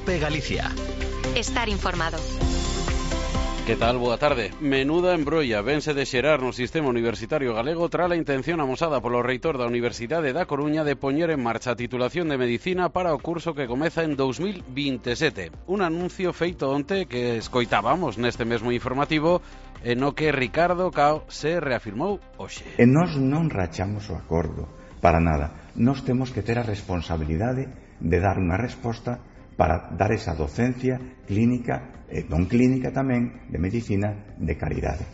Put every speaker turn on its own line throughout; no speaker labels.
Cope Galicia.
Estar informado.
Que tal? Boa tarde. Menuda embrolla vense de xerar no sistema universitario galego tras a intención amosada polo reitor da Universidade da Coruña de poñer en marcha a titulación de Medicina para o curso que comeza en 2027. Un anuncio feito onte que escoitábamos neste mesmo informativo e no que Ricardo Cao se reafirmou hoxe.
E nós non rachamos o acordo, para nada. Nós temos que ter a responsabilidade de dar unha resposta para dar esa docencia clínica e non clínica tamén de medicina de calidade.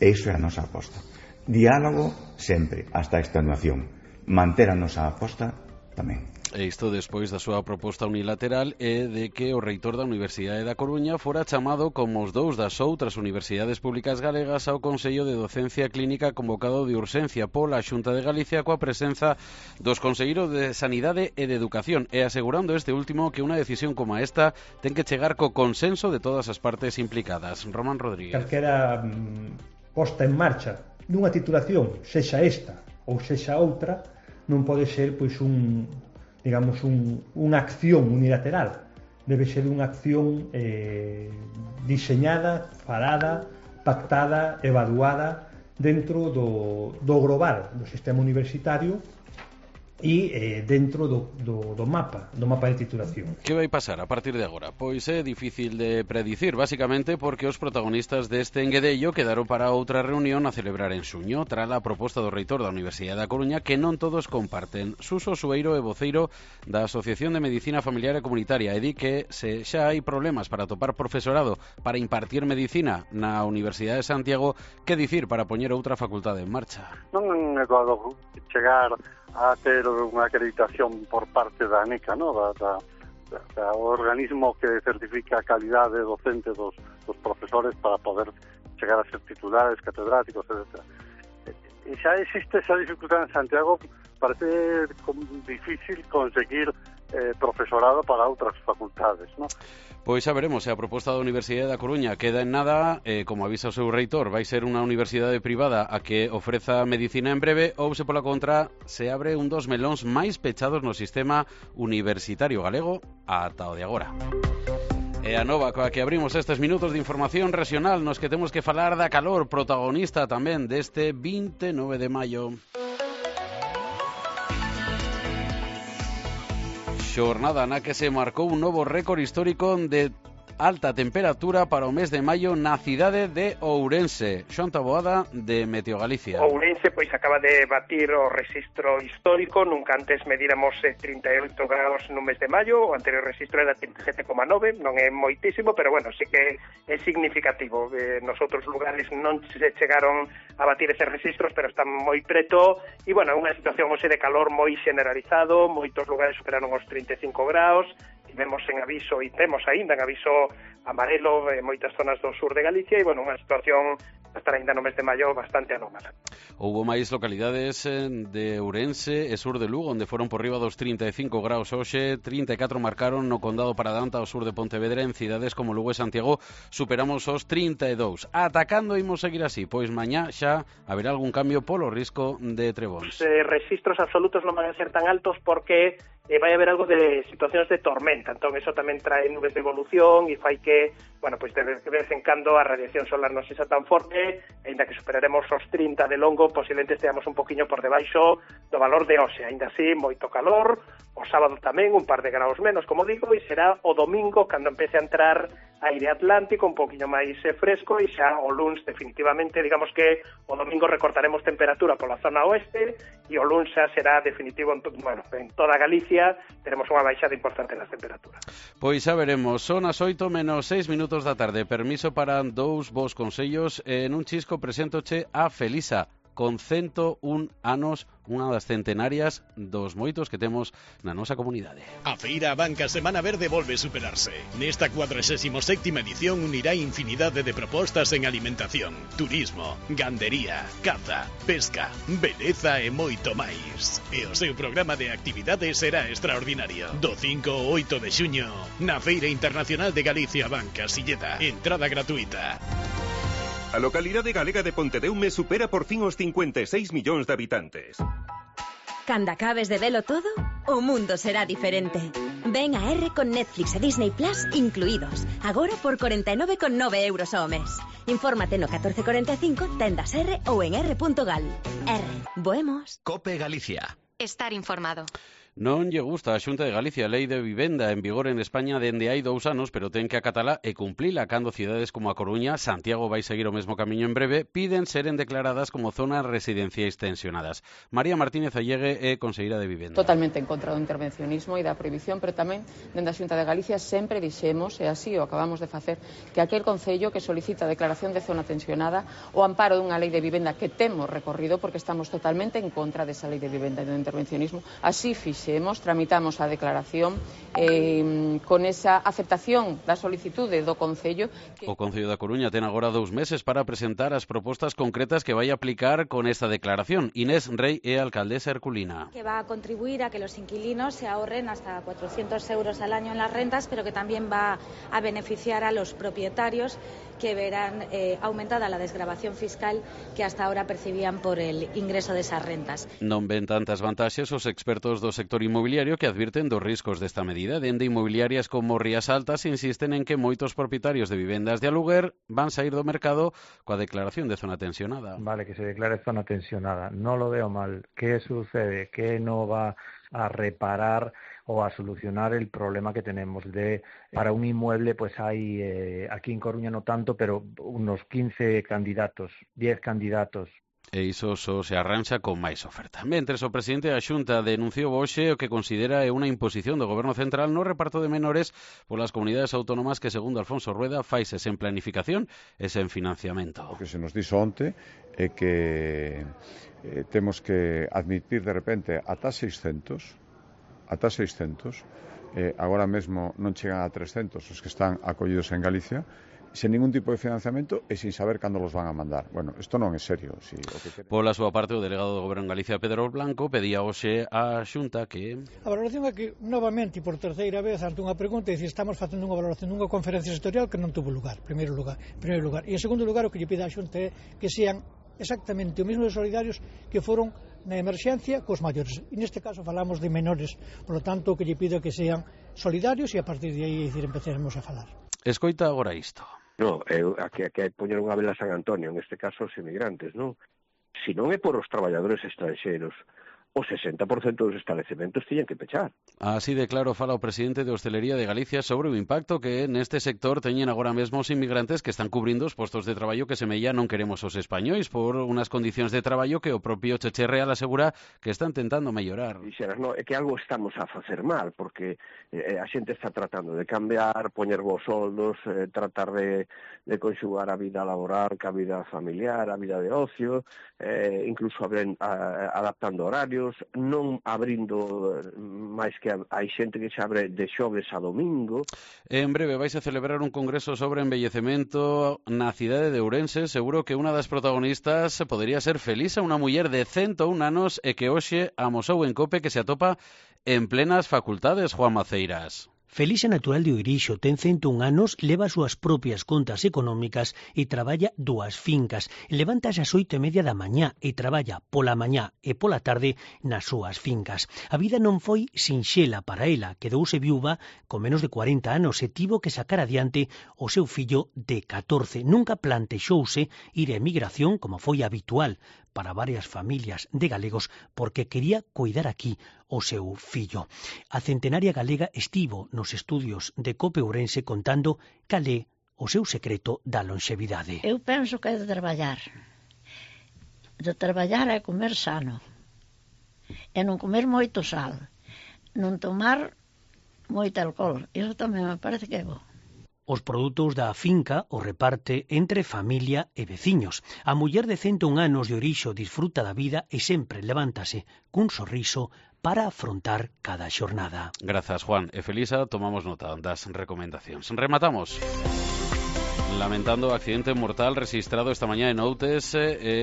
E iso é a nosa aposta. Diálogo sempre, hasta a extenuación. Manter a nosa aposta tamén.
E isto despois da súa proposta unilateral é de que o reitor da Universidade da Coruña fora chamado como os dous das outras universidades públicas galegas ao Consello de Docencia Clínica convocado de urxencia pola Xunta de Galicia coa presenza dos conselleiros de Sanidade e de Educación e asegurando este último que unha decisión como esta ten que chegar co consenso de todas as partes implicadas. Román Rodríguez.
Calquera posta en marcha dunha titulación, sexa esta ou sexa outra, non pode ser pois unha acción unilateral. Debe ser unha acción diseñada, falada, pactada, evaluada dentro do global do sistema universitario e dentro do mapa de titulación.
Que vai pasar a partir de agora? Pois é difícil de predicir, basicamente porque os protagonistas deste enguedello quedaron para outra reunión a celebrar en xuño, tras a proposta do reitor da Universidade da Coruña que non todos comparten. Suso Sueiro é voceiro da Asociación de Medicina Familiar e Comunitaria e di que se xa hai problemas para topar profesorado para impartir medicina na Universidade de Santiago, que dicir para poñer outra facultade en marcha?
Non é doado chegar a ter unha acreditación por parte da ANECA, no? da organismo que certifica a calidade docente dos profesores para poder chegar a ser titulares, catedráticos, etc. E xa existe esa dificultade en Santiago, parece difícil conseguir profesorado para outras facultades, no?
Pois xa veremos se a proposta da Universidade da Coruña queda en nada, como avisa o seu reitor, vai ser unha universidade privada a que ofreza medicina en breve, ou se pola contra se abre un dos melóns máis pechados no sistema universitario galego ata o de agora. E a nova coa que abrimos estes minutos de información regional nos que temos que falar da calor, protagonista tamén deste 29 de maio. Xornada na que se marcou un novo récord histórico de alta temperatura para o mes de maio na cidade de Ourense. Xoan Taboada, de Meteo Galicia.
Ourense pois acaba de batir o rexistro histórico. Nunca antes medíramos 38 graus no mes de maio. O anterior rexistro era 37,9. Non é moitísimo, pero bueno, sí que é significativo. Nos outros lugares non se chegaron a batir eses rexistros, pero están moi preto. E bueno, é unha situación hoxe de calor moi generalizado. Moitos lugares superaron os 35 graus. Tivemos en aviso e temos aínda en aviso amarelo en moitas zonas do sur de Galicia e, bueno, unha situación hasta aínda no mes de maio bastante anómala.
Houbo máis localidades de Ourense e sur de Lugo onde foron por riba dos 35 graus hoxe, 34 marcaron no condado Paradanta ao sur de Pontevedra. En cidades como Lugo e Santiago superamos os 32. Atacando imos seguir así, pois mañá xa haberá algún cambio polo risco de trebóns.
Registros absolutos non van a ser tan altos porque vai haber algo de situacións de tormenta, entón eso tamén trae nubes de evolución e fai que, bueno, pois de vez en cando a radiación solar non sexa tan forte, aínda que superaremos os 30 de longo, posiblemente esteamos un poquinho por debaixo do valor de hoxe, aínda así moito calor, o sábado tamén un par de graus menos, como digo, e será o domingo cando empece a entrar aire atlántico un poquinho máis fresco e xa o luns definitivamente, digamos que o domingo recortaremos temperatura pola zona oeste e o luns xa será definitivo en toda Galicia, teremos unha baixada importante nas temperaturas.
Pois xa veremos, son as 8:06 da tarde, permiso para dous vos consellos, en un chisco preséntoche a Felisa, con 101 anos, unha das centenarias dos moitos que temos na nosa comunidade.
A Feira Abanca Semana Verde volve superarse. Nesta 47ª edición unirá infinidade de propostas en alimentación, turismo, gandería, caza, pesca, beleza e moito máis. E o seu programa de actividades será extraordinario. Do 5 ao 8 de xuño, na Feira Internacional de Galicia Abanca Silleda. Entrada gratuita.
A localidade galega de Pontedeume supera por fin os 56 millóns de habitantes. Cando acabes de velo todo, o mundo será diferente. Ven a R con Netflix e Disney Plus incluídos. Agora por 49,9 euros ao mes. Infórmate no 1445, tendas R ou en r.gal. R. Boemos.
Cope Galicia.
Estar informado.
Non lle gusta a Xunta de Galicia a Lei de Vivenda en vigor en España dende hai 2 anos, pero ten que acatala e cumplila cando cidades como a Coruña, Santiago vai seguir o mesmo camiño en breve, piden seren declaradas como zonas residenciais tensionadas. María Martínez Allegue é conselleira de Vivenda.
Totalmente en contra do intervencionismo e da prohibición, pero tamén dende a Xunta de Galicia sempre dixemos, e así o acabamos de facer, que aquel concello que solicita a declaración de zona tensionada o amparo dunha lei de vivenda que temos recorrido porque estamos totalmente en contra desa lei de vivenda e do intervencionismo, así tramitamos a declaración con esa aceptación da solicitude do Concello.
O Concello da Coruña ten agora 2 meses para presentar as propostas concretas que vai aplicar con esta declaración. Inés Rey é alcaldesa herculina.
Que va a contribuir a que los inquilinos se ahorren hasta 400 euros al año en las rentas, pero que también va a beneficiar a los propietarios que verán aumentada la desgravación fiscal que hasta ahora percibían por el ingreso de esas rentas.
Non ven tantas vantaxes os expertos do sector inmobiliario que advirten dos riscos desta medida. Dende inmobiliarias como Rías Altas insisten en que moitos propietarios de vivendas de aluguer van sair do mercado coa declaración de zona tensionada.
Vale, que se declare zona tensionada. No lo veo mal. ¿Qué sucede? Que no va a reparar o a solucionar el problema que tenemos de para un inmueble, pues hay aquí en Coruña no tanto, pero unos 15 candidatos, 10 candidatos.
E iso só se arranxa con máis oferta. Mentres, o presidente da Xunta denunciou hoxe o que considera unha imposición do Goberno Central no reparto de menores polas comunidades autónomas que, segundo Alfonso Rueda, faise sen planificación e sen financiamento.
O que se nos dixo onte é que temos que admitir de repente ata 600, agora mesmo non chegan a 300 os que están acollidos en Galicia, sen ningún tipo de financiamento e sin saber cando los van a mandar. Bueno, isto non é serio. Si,
Pola súa parte, o delegado do Goberno en Galicia, Pedro Blanco, pedía hoxe á Xunta que...
A valoración é que, novamente, por terceira vez, ante unha pregunta, estamos facendo unha valoración dunha conferencia sectorial que non tuvo lugar, primeiro lugar. E en segundo lugar, o que lle pide a Xunta é que sean exactamente o mesmo de solidarios que foron na emerxencia cos maiores. E neste caso falamos de menores, por lo tanto, o que lle pido é que sean solidarios e a partir de aí empezaremos a falar.
Escoita agora isto.
No, aquí hai poñer unha vela a San Antonio, en este caso os emigrantes, non? Se non é por os traballadores estranxeiros, o 60% dos establecementos tiñen que pechar.
Así de claro fala o presidente de Hostelería de Galicia sobre o impacto que neste sector teñen agora mesmo os inmigrantes que están cubrindo os postos de traballo que semella non queremos os españois por unhas condicións de traballo que o propio Cheche Real asegura que están tentando mellorar.
Dixeras, no, é que algo estamos a facer mal, porque a xente está tratando de cambiar, poñer vos soldos, tratar de conxugar a vida laboral ca vida familiar, a vida de ocio, incluso adaptando horarios, non abrindo máis que hai xente que se abre de xoves a domingo.
En breve vais a celebrar un congreso sobre envellecemento na cidade de Ourense. Seguro que unha das protagonistas podería ser Felisa, unha muller de 101 anos e que hoxe amosou en Cope que se atopa en plenas facultades, Juan Maceiras.
Felisa, natural de Oirixo, ten 101 anos, leva as súas propias contas económicas e traballa 2 fincas. Levantase ás 8:30 da mañá e traballa pola mañá e pola tarde nas súas fincas. A vida non foi sinxela para ela, quedouse viúva con menos de 40 anos e tivo que sacar adiante o seu fillo de 14. Nunca plantexouse ir a emigración como foi habitual para varias familias de galegos porque quería coidar aquí o seu fillo. A centenaria galega estivo nos estudios de Cope Ourense contando cal é o seu secreto da lonxevidade.
Eu penso que é de traballar. De traballar é comer sano. E non comer moito sal. Non tomar moito alcohol. Iso tamén me parece que é bo.
Os produtos da finca o reparte entre familia e veciños. A muller de 101 anos de Oirixo disfruta da vida e sempre levántase cun sorriso para afrontar cada xornada.
Grazas, Juan. E Felisa, tomamos nota das recomendacións. Rematamos. Lamentando accidente mortal registrado esta mañá en Outes,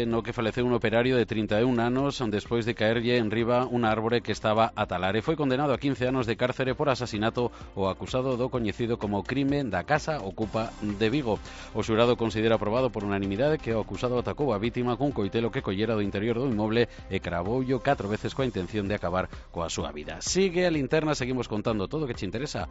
no que faleceu un operario de 31 anos despois de caerlle en riba un árbore que estaba a talar e foi condenado a 15 anos de cárcere por asasinato o acusado do coñecido como crime da Casa Ocupa de Vigo. O xurado considera aprobado por unanimidade que o acusado atacou a vítima cun coitelo que collera do interior do inmoble e cravoulle 4 veces coa intención de acabar coa súa vida. Sigue a linterna, seguimos contando todo o que che interesa